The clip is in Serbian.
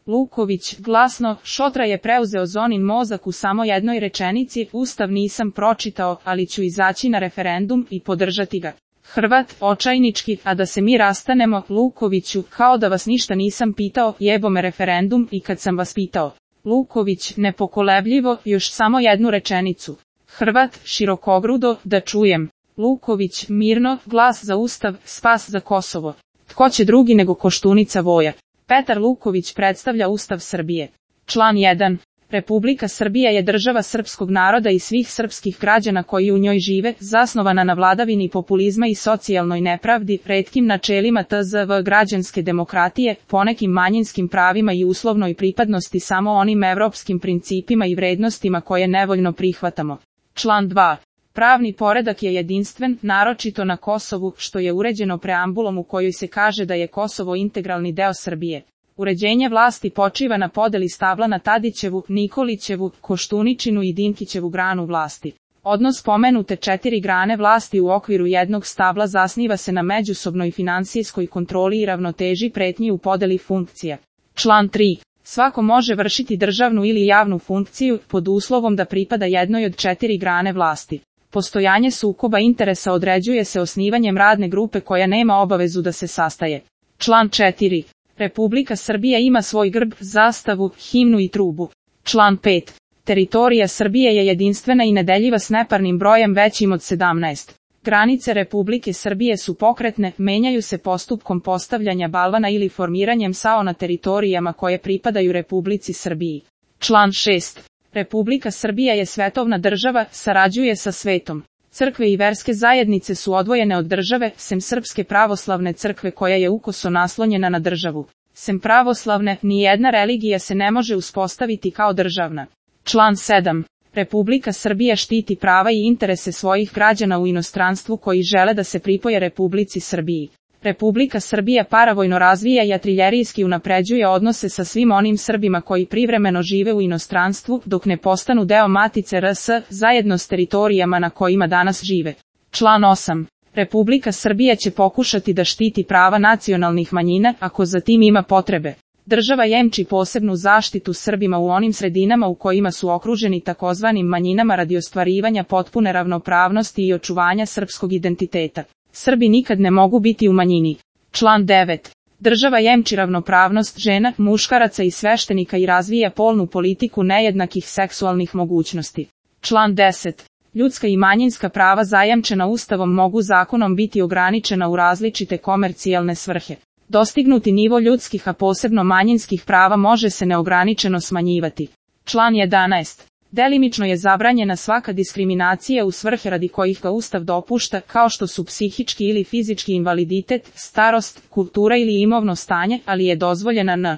Luković, glasno, Šotra je preuzeo Zonin mozak u samo jednoj rečenici, Ustav nisam pročitao, ali ću izaći na referendum i podržati ga. Hrvat, očajnički, a da se mi rastanemo, Lukoviću, kao da vas ništa nisam pitao, jebo me referendum i kad sam vas pitao. Luković, nepokolebljivo, još samo jednu rečenicu. Hrvat, širokogrudo, da čujem. Luković, mirno, glas za Ustav, spas za Kosovo. Tko će drugi nego Koštunica Voja? Petar Luković predstavlja Ustav Srbije. Član 1. Republika Srbija je država srpskog naroda i svih srpskih građana koji u njoj žive, zasnovana na vladavini populizma i socijalnoj nepravdi, retkim načelima tzv. građanske demokratije, ponekim manjinskim pravima i uslovnoj pripadnosti samo onim evropskim principima i vrednostima koje nevoljno prihvatamo. Član 2. Pravni poredak je jedinstven, naročito na Kosovu, što je uređeno preambulom u kojoj se kaže da je Kosovo integralni deo Srbije. Uređenje vlasti počiva na podeli stabla na Tadićevu, Nikolićevu, Koštuničinu i Dinkićevu granu vlasti. Odnos pomenute 4 grane vlasti u okviru jednog stabla zasniva se na međusobnoj finansijskoj kontroli i ravnoteži pretnji u podeli funkcija. Član 3. Svako može vršiti državnu ili javnu funkciju, pod uslovom da pripada jednoj od 4 grane vlasti. Postojanje sukoba interesa određuje se osnivanjem radne grupe koja nema obavezu da se sastaje. Član 4. Republika Srbija ima svoj grb, zastavu, himnu i trubu. Član 5. Teritorija Srbije je jedinstvena i nedeljiva s neparnim brojem većim od 17. Granice Republike Srbije su pokretne, menjaju se postupkom postavljanja balvana ili formiranjem SAO na teritorijama koje pripadaju Republici Srbiji. Član 6. Republika Srbija je svetovna država, sarađuje sa svetom. Crkve i verske zajednice su odvojene od države, sem Srpske pravoslavne crkve koja je ukoso naslonjena na državu. Sem pravoslavne, nijedna religija se ne može uspostaviti kao državna. Član 7. Republika Srbija štiti prava i interese svojih građana u inostranstvu koji žele da se pripoje Republici Srbiji. Republika Srbija paravojno razvija i artiljerijski unapređuje odnose sa svim onim Srbima koji privremeno žive u inostranstvu, dok ne postanu deo Matice RS, zajedno s teritorijama na kojima danas žive. Član 8. Republika Srbija će pokušati da štiti prava nacionalnih manjina, ako za tim ima potrebe. Država jemči posebnu zaštitu Srbima u onim sredinama u kojima su okruženi takozvanim manjinama radi ostvarivanja potpune ravnopravnosti i očuvanja srpskog identiteta. Srbi nikad ne mogu biti u manjini. Član 9. Država jemči ravnopravnost žena, muškaraca i sveštenika i razvija polnu politiku nejednakih seksualnih mogućnosti. Član 10. Ljudska i manjinska prava zajamčena Ustavom mogu zakonom biti ograničena u različite komercijalne svrhe. Dostignuti nivo ljudskih, a posebno manjinskih prava može se neograničeno smanjivati. Član 11. Delimično je zabranjena svaka diskriminacija u svrhe radi kojih ga Ustav dopušta, kao što su psihički ili fizički invaliditet, starost, kultura ili imovno stanje, ali je dozvoljena n.